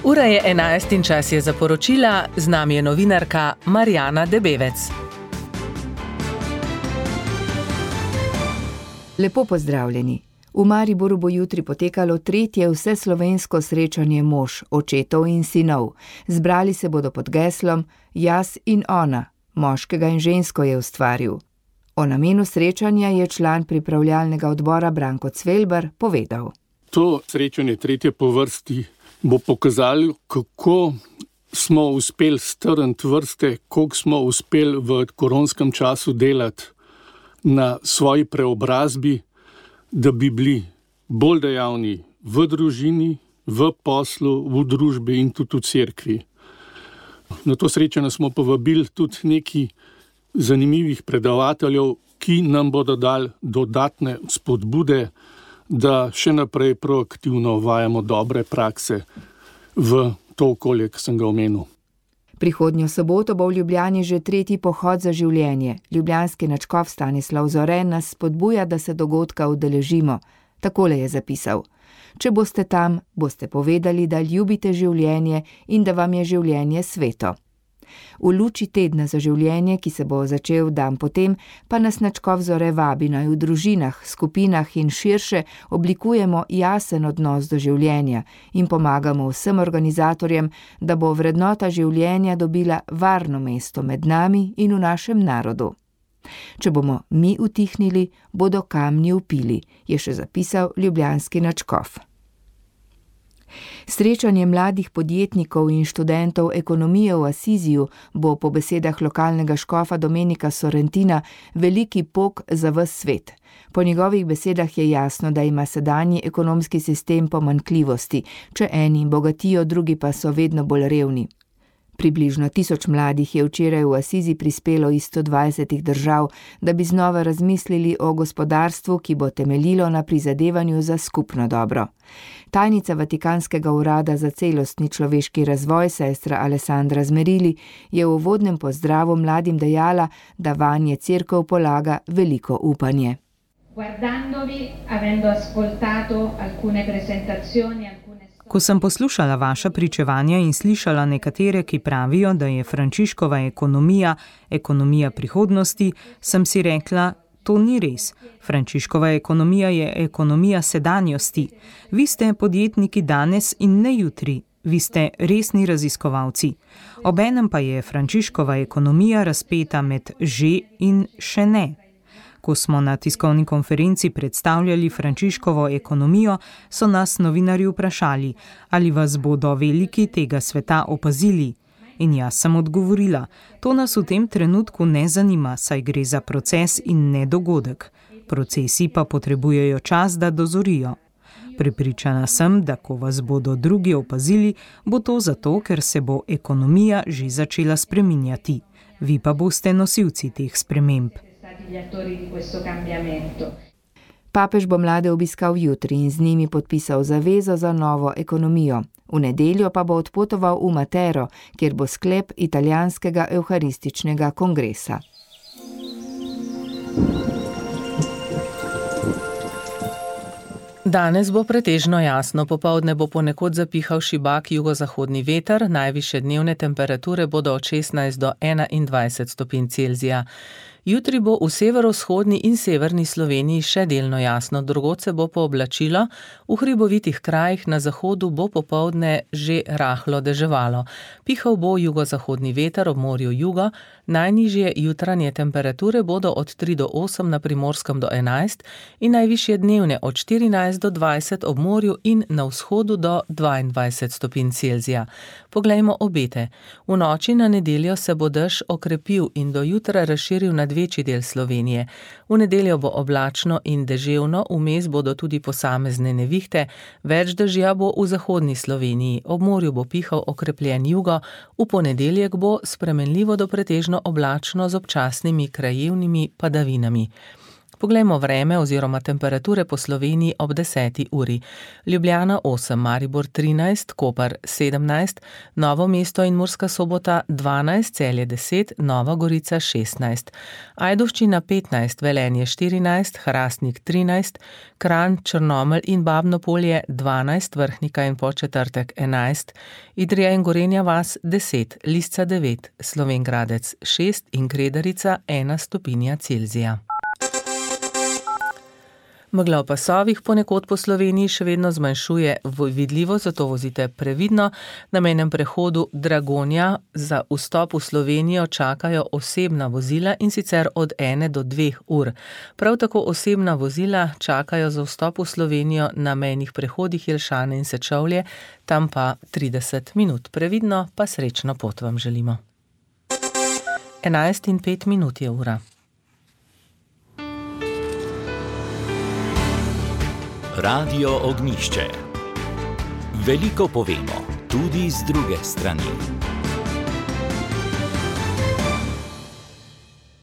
Ura je 11 in čas je za poročila, z nami je novinarka Marjana Debevec. Lepo pozdravljeni. V Mariboru bo jutri potekalo 3. vseslovensko srečanje mož, očetov in sinov. Zbrali se bodo pod geslom Jaz in ona, moškega in žensko je ustvaril. O namenu srečanja je član pripravljalnega odbora Branko Cvelbar povedal. To srečanje 3. po vrsti bo pokazalo, kako smo uspeli strniti vrste, koliko smo uspeli v koronskem času delati na svoji preobrazbi, da bi bili bolj dejavni v družini, v poslu, v družbi in tudi v cerkvi. Na to srečanje smo povabili tudi nekaj zanimivih predavateljev, ki nam bodo dali dodatne spodbude, da še naprej proaktivno uvajamo dobre prakse v to okolje, ki sem ga omenil. Prihodnjo soboto bo v Ljubljani že 3. pohod za življenje. Ljubljanski nadškof Stanislav Zore nas spodbuja, da se dogodka udeležimo. Takole je zapisal. Če boste tam, boste povedali, da ljubite življenje in da vam je življenje sveto. V luči tedna za življenje, ki se bo začel dan potem, pa nas nadškof Zore vabi, naj v družinah, skupinah in širše oblikujemo jasen odnos do življenja in pomagamo vsem organizatorjem, da bo vrednota življenja dobila varno mesto med nami in v našem narodu. Če bomo mi utihnili, bodo kamni vpili, je še zapisal ljubljanski nadškof. Srečanje mladih podjetnikov in študentov ekonomije v Asiziju bo po besedah lokalnega škofa Domenika Sorrentina veliki pok za ves svet. Po njegovih besedah je jasno, da ima sedanji ekonomski sistem pomanjkljivosti, če eni bogatijo, drugi pa so vedno bolj revni. Približno 1000 mladih je včeraj v Asizi prispelo iz 120 držav, da bi znova razmislili o gospodarstvu, ki bo temeljilo na prizadevanju za skupno dobro. Tajnica Vatikanskega urada za celostni človeški razvoj, sestra Alessandra Zmerili, je v uvodnem pozdravu mladim dejala, da vanje cerkev polaga veliko upanje. Guardandovi, avendo ascoltato alcune presentazioni, Ko sem poslušala vaša pričevanja in slišala nekatere, ki pravijo, da je Frančiškova ekonomija prihodnosti, sem si rekla, to ni res. Frančiškova ekonomija je ekonomija sedanjosti. Vi ste podjetniki danes in ne jutri. Vi ste resni raziskovalci. Obenem pa je Frančiškova ekonomija razpeta med že in še ne. Ko smo na tiskovni konferenci predstavljali Frančiškovo ekonomijo, so nas novinarji vprašali, ali vas bodo veliki tega sveta opazili. In jaz sem odgovorila, to nas v tem trenutku ne zanima, saj gre za proces in ne dogodek. Procesi pa potrebujejo čas, da dozorijo. Prepričana sem, da ko vas bodo drugi opazili, bo to zato, ker se bo ekonomija že začela spreminjati. Vi pa boste nosilci teh sprememb. Papež bo mlade obiskal jutri in z njimi podpisal zavezo za novo ekonomijo. V nedeljo pa bo odpotoval v Matero, kjer bo sklep italijanskega evharističnega kongresa. Danes bo pretežno jasno, popoldne bo ponekod zapihal šibak jugozahodni veter, najvišje dnevne temperature bodo od 16 do 21 stopinj Celzija. Jutri bo v severovzhodni in severni Sloveniji še delno jasno, drugod se bo pooblačilo, v hribovitih krajih na zahodu bo popoldne že rahlo deževalo. Pihal bo jugozahodni veter ob morju jugo, najnižje jutranje temperature bodo od 3 do 8 na Primorskem do 11 in najvišje dnevne od 14 do 20 ob morju in na vzhodu do 22 stopinj Celzija. Poglejmo obete. V noči na nedeljo se bo dež okrepil in do jutra razširil nad večji del Slovenije. V nedeljo bo oblačno in deževno, vmes bodo tudi posamezne nevihte, več dežja bo v zahodni Sloveniji, ob morju bo pihal okrepljen jugo, v ponedeljek bo spremenljivo do pretežno oblačno z občasnimi krajevnimi padavinami. Poglejmo vreme oziroma temperature po Sloveniji ob 10. uri. Ljubljana 8, Maribor 13, Koper 17, Novo mesto in Murska Sobota 12, Celje 10, Nova Gorica 16, Ajdovščina 15, Velenje 14, Hrastnik 13, Kranj, Črnomelj in Babno Polje 12, Vrhnika in Podčetrtek 11, Idrija in Gorenja vas 10, Lisca 9, Slovenj Gradec 6 in Kredarica 1 stopinja Celzija. Megla v pasovih ponekod po Sloveniji še vedno zmanjšuje vidljivost, zato vozite previdno. Na mejnem prehodu Dragonja za vstop v Slovenijo čakajo osebna vozila in sicer od 1 do 2 ur. Prav tako osebna vozila čakajo za vstop v Slovenijo na mejnih prehodih Jelšane in Sečovlje, tam pa 30 minut. Previdno pa srečno pot vam želimo. 11:05 je ura. Radio Ognjišče. Veliko povemo, tudi z druge strani.